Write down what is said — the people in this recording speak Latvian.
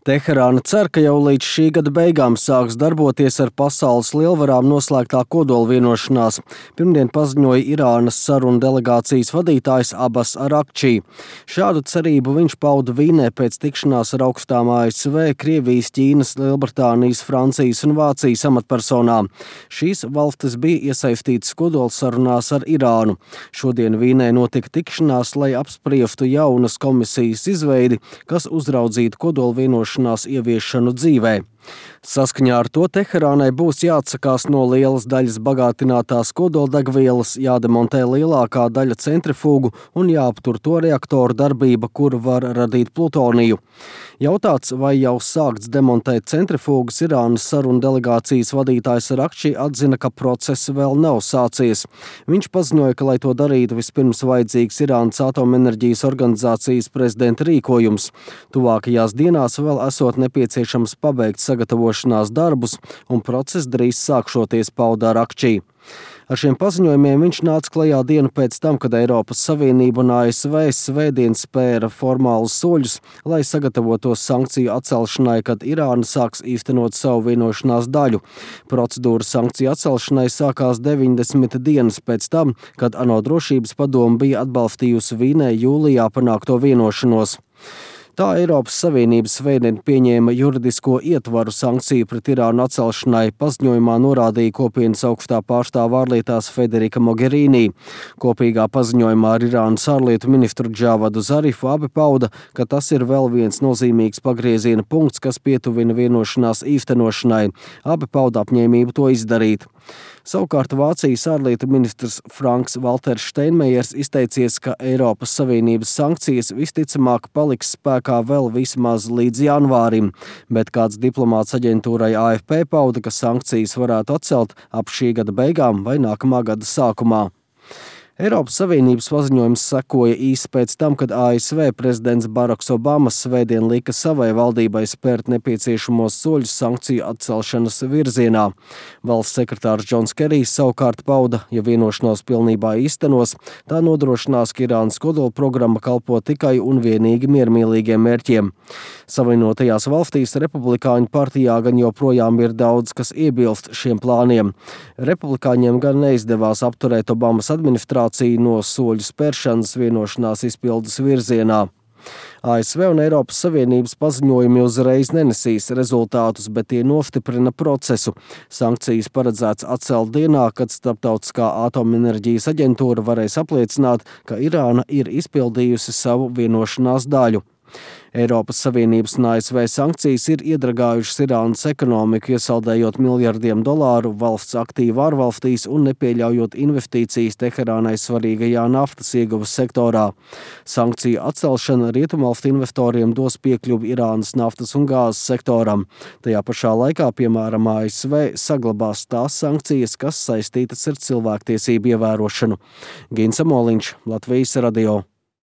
Teherāna cer, ka jau līdz šī gada beigām sāks darboties ar pasaules lielvarām noslēgtā kodola vienošanās. Pirmdien paziņoja Irānas sarunu delegācijas vadītājs Abbas Arakčī. Šādu cerību viņš pauda Vīnē pēc tikšanās ar augstām ASV, Krievijas, Ķīnas, Lielbritānijas, Francijas un Vācijas amatpersonām. Šīs valstis bija iesaistītas kodola sarunās ar Irānu. Šodien Vīnē notika tikšanās, lai apspriestu jaunas komisijas izveidi, kas uzraudzītu kodola vienošanās ieviešanu dzīvē. Saskaņā ar to Teherānai būs jāatsakās no lielas daļas bagātinātās kodoldegvielas, jādemontē lielākā daļa centrifugu un jāaptur to reaktoru darbība, kur var radīt plutoniju. Jautāts, vai jau sākts demontēt centrifugas, Irānas sarunu delegācijas vadītājs Arakčī atzina, ka process vēl nav sācies. Viņš paziņoja, ka, lai to darītu, vispirms vajadzīgs Irānas atomenerģijas organizācijas prezidenta rīkojums. Tuvākajās dienās vēl esot nepieciešams pabeigt sagatavošanās darbus, un process drīz sākšoties, pauda Arakčī. Ar šiem paziņojumiem viņš nāca klajā dienu pēc tam, kad Eiropas Savienība un ASV svētdien spēra formālus soļus, lai sagatavotos sankciju atcelšanai, kad Irāna sāks īstenot savu vienošanās daļu. Procedūra sankciju atcelšanai sākās 90 dienas pēc tam, kad ANO drošības padome bija atbalstījusi Vīnē jūlijā panākto vienošanos. Tā Eiropas Savienība svētdien pieņēma juridisko ietvaru sankciju pret Irānu atcelšanai, paziņojumā norādīja kopienas augstā pārstāve ārlietās Federika Mogherini. Kopīgā paziņojumā ar Irānas ārlietu ministru Džavadu Zarifu abi pauda, ka tas ir vēl viens nozīmīgs pagrieziena punkts, kas pietuvina vienošanās īstenošanai. Abi pauda apņēmību to izdarīt. Savukārt Vācijas ārlietu ministrs Franks Valters Steinmeiers izteicies, ka Eiropas Savienības sankcijas visticamāk paliks spēkā vēl vismaz līdz janvārim, bet kāds diplomāts aģentūrai AFP pauda, ka sankcijas varētu atcelt ap šī gada beigām vai nākamā gada sākumā. Eiropas Savienības paziņojums sekoja īsi pēc tam, kad ASV prezidents Baraks Obamas svētdien lika savai valdībai spērt nepieciešamos soļus sankciju atcelšanas virzienā. Valsts sekretārs Džons Kerijs savukārt pauda, ja vienošanos pilnībā īstenos, tā nodrošinās, ka Irānas kodola programma kalpo tikai un vienīgi miermīlīgiem mērķiem. Savienotajās valstīs Republikāņu partijā gan joprojām ir daudz, kas iebilst šiem plāniem. Republikāņiem gan neizdevās apturēt Obamas administrāciju no soļu spēršanas vienošanās izpildes virzienā. ASV un Eiropas Savienības paziņojumi uzreiz nenesīs rezultātus, bet tie nostiprina procesu. Sankcijas paredzēts atcelt dienā, kad Starptautiskā atomenerģijas aģentūra varēs apliecināt, ka Irāna ir izpildījusi savu vienošanās daļu. Eiropas Savienības un ASV sankcijas ir iedragājušas Irānas ekonomiku, iesaldējot miljardiem dolāru valsts aktīvu ārvalstīs un nepieļaujot investīcijas Teherānai svarīgajā naftas ieguves sektorā. Sankciju atcelšana rietumvalstu investoriem dos piekļuvi Irānas naftas un gāzes sektoram. Tajā pašā laikā, piemēram, ASV saglabās tās sankcijas, kas saistītas ar cilvēktiesību ievērošanu. Gins Amoliņš, Latvijas radio.